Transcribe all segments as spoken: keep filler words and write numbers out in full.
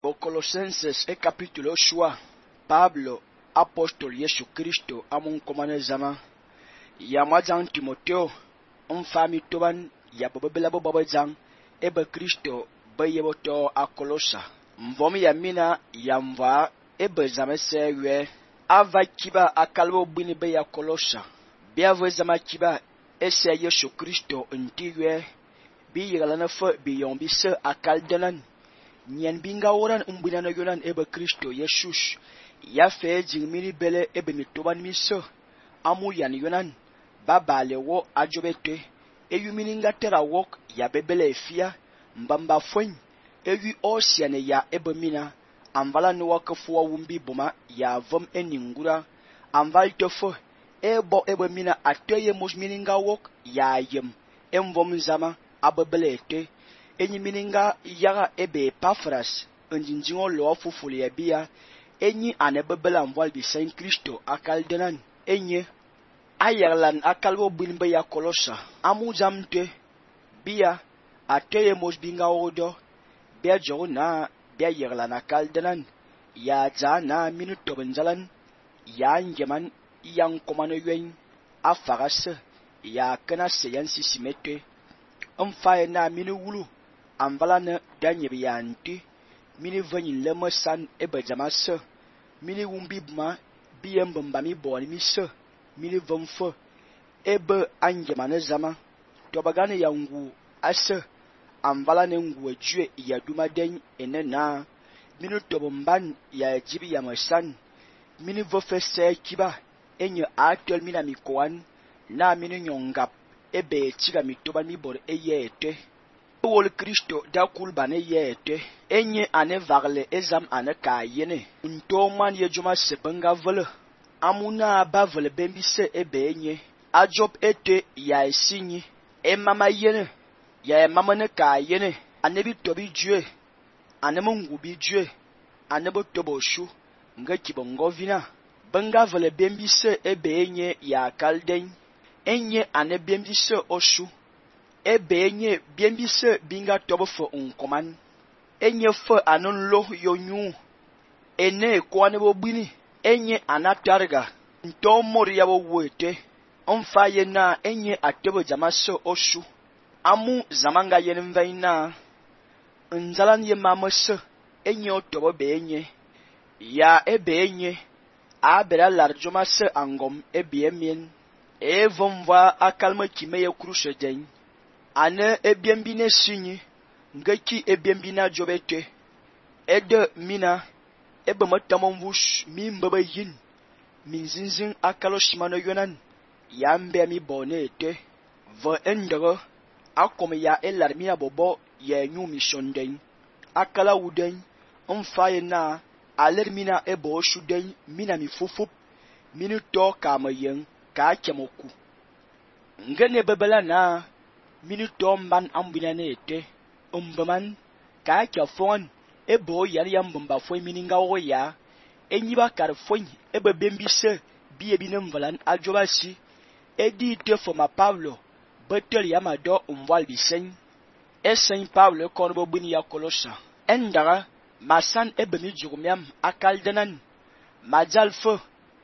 O Colossenses e capítulo oito, Pablo, apóstolo Yesu Cristo, amon komane zama, ya mwazang Timoteo, mfami toban, ya bobela bobo zang, ebe Cristo, be yeboto a Colossa. Mvom ya mina, ya mva, ebe zame sewe, ava kiba akalbo bini be ya Colossa. Biavo zama kiba, ese Yesu Cristo ntiwe, bi yigalana fe bi yombi se akaldenan. Nyen binga oran umbinana yonan ebe Kristo Jesus ya fe jingmini bele ebe mitoban miso amu yan yonan babale wo ajobete eyu mininga tera wok ya bebele efia mbamba fwen eyu osiane ya ebe mina amvala nuwa kefuwa wumbi boma ya vom eningura amval tofo ebo ebe mina ateye mos mininga wok ya yem emvom zama abebele ete enyi mininga yaga ebe Epafras njinjingo lo fufuli ya bia enyi anebebela mval bi Saint Kristo akaldenan enye ayarlan akalbo binbe ya Kolossa amu zamte bia ateye mos binga odo bia jona bia yarlan akaldenan ya zana minuto benzalan ya ngeman yang komano yuen afarase ya kana seyan sisimete mfaye na minu wulu amvala ne danyebi yanti mini vanyin lema san ebe jamase mini wumbi bma biye mbamba mi boni mi se mini vamfo ebe angemane zama tobagane ya ngu ase amvala ne ngu ejue ya duma den ene na mini tobomban ya jibi ya masan mini vofe se kiba enye atel mina mikoan na mini nyongap ebe chiga mitoban mi bor eye ete wol Kristo da kulbane yete enye ane vagle ezam ane ka yene nto man ye juma sepenga vele amuna ba vele bembise ebe enye ajob ete ya esinyi e mama yene ya e mama ne ka yene ane bi tobi jue ane mungu bi jue ane bo tobo shu nga kibongo vina benga vele bembise ebe enye ya kalden enye ane bembise oshu ebe enye biembise binga tobo fo unkoman enye fo anon lo yonyu ene kwane bo bini enye anatarga nto mori ya bo wete onfa ye na enye atebo jamaso oshu amu zamanga yen mvaina nzalan ye mamase enye otobo be enye ya ebe enye abera larjoma se angom ebiemien evomva akalma kimeye krushe den ane ebiembi ne sinyi ngeki ebiembi na jobete ede mina ebe matamomvush mi mbaba yin minzinzin akalo shimano yonan ya mbe mi bonete va endere akome ya elarmina bobo ya nyu mishonden akala wuden onfaye na alermina ebo shuden mina mi fufup mini to kamayen ka kemoku ngene bebela na mini tomban ambina nete umbaman ka kya fon ebo yari yambamba foi mininga oya enyiba kar foi ebe bembise biye binem valan ajobasi edi te foma Pablo betel yamado umwal bisen e Saint Pablo konbo buni ya Kolossa endara masan ebe mi jurmiam akaldenan majalfo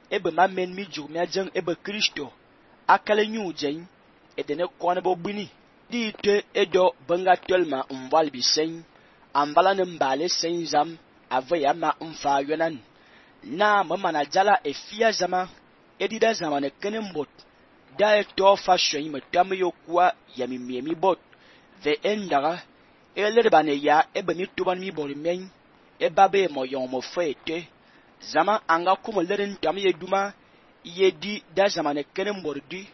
ebe mamen mi jurmia jeng ebe Kristo akalenyu jen edene konbo buni di te edo benga telma umwal bisen ambala ne mbale sen zam avaya ma umfa yonan na mama jala efia zama edida zama ne kenembot da eto fashion me tamyo kwa ya mimiemi bot ve endara ele bane ya ebe mi tuban mi bol men e babe mo yon mo fete zama anga kuma lerin tamye duma yedi da zama ne kenembordi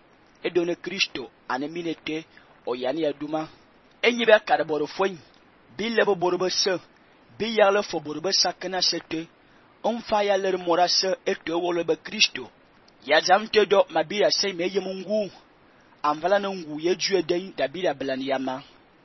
edo ne Kristo ane minete o yani ya duma enyi be kar boro foin bi lebo boro be se bi yale fo boro be sakana sete on fa ya ler morase eto wolo be Kristo ya jamte do mabia sei meye mungu amvala na ngu ye jue den da bi da blan yama